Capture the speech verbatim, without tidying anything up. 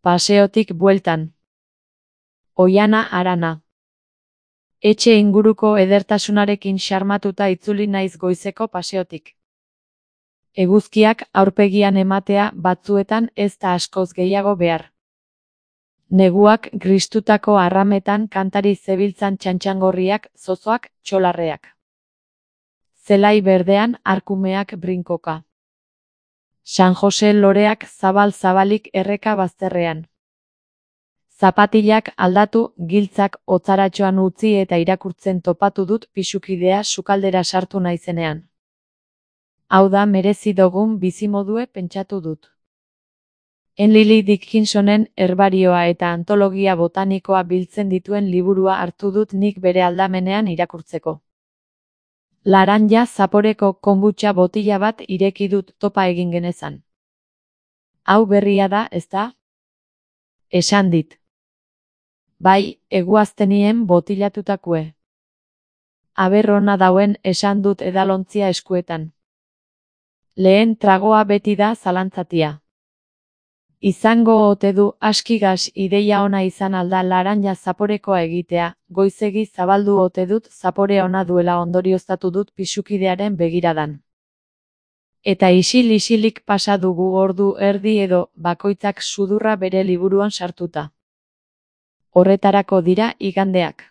Paseotik bueltan. Oiana Arana. Etxe inguruko edertasunarekin xarmatuta itzuli naiz goizeko paseotik. Eguzkiak aurpegian ematea batzuetan ez da askoz gehiago behar. Neguak gristutako arrametan kantari zebiltzan txantxangorriak, zozoak, txolarreak. Zelai berdean arkumeak brinkoka. San Jose loreak zabal-zabalik erreka bazterrean. Zapatilak aldatu, giltzak otzaratxoan utzi eta irakurtzen topatu dut pisukidea sukaldera sartu naizenean. Hau da merezi dugun bizimodue pentsatu dut. Emily Dickinsonen herbarioa eta antologia botanikoa biltzen dituen liburua hartu dut nik bere aldamenean irakurtzeko. Laranja zaporeko konbutxa botila bat ireki dut topa egin genezan. Hau berria da, ezta? Esan dit. Bai, eguaztenien botilatutakue. Aberrona dauen esan dut edalontzia eskuetan. Lehen tragoa beti da zalantzatia. Izango ote du askigaz ideia ona izan alda laranja zaporekoa egitea, goizegi zabaldu ote dut zapore ona duela ondorioztatu dut pisukidearen begiradan. Eta isil-isilik pasa dugu ordu erdi edo bakoitzak sudurra bere liburuan sartuta. Horretarako dira igandeak.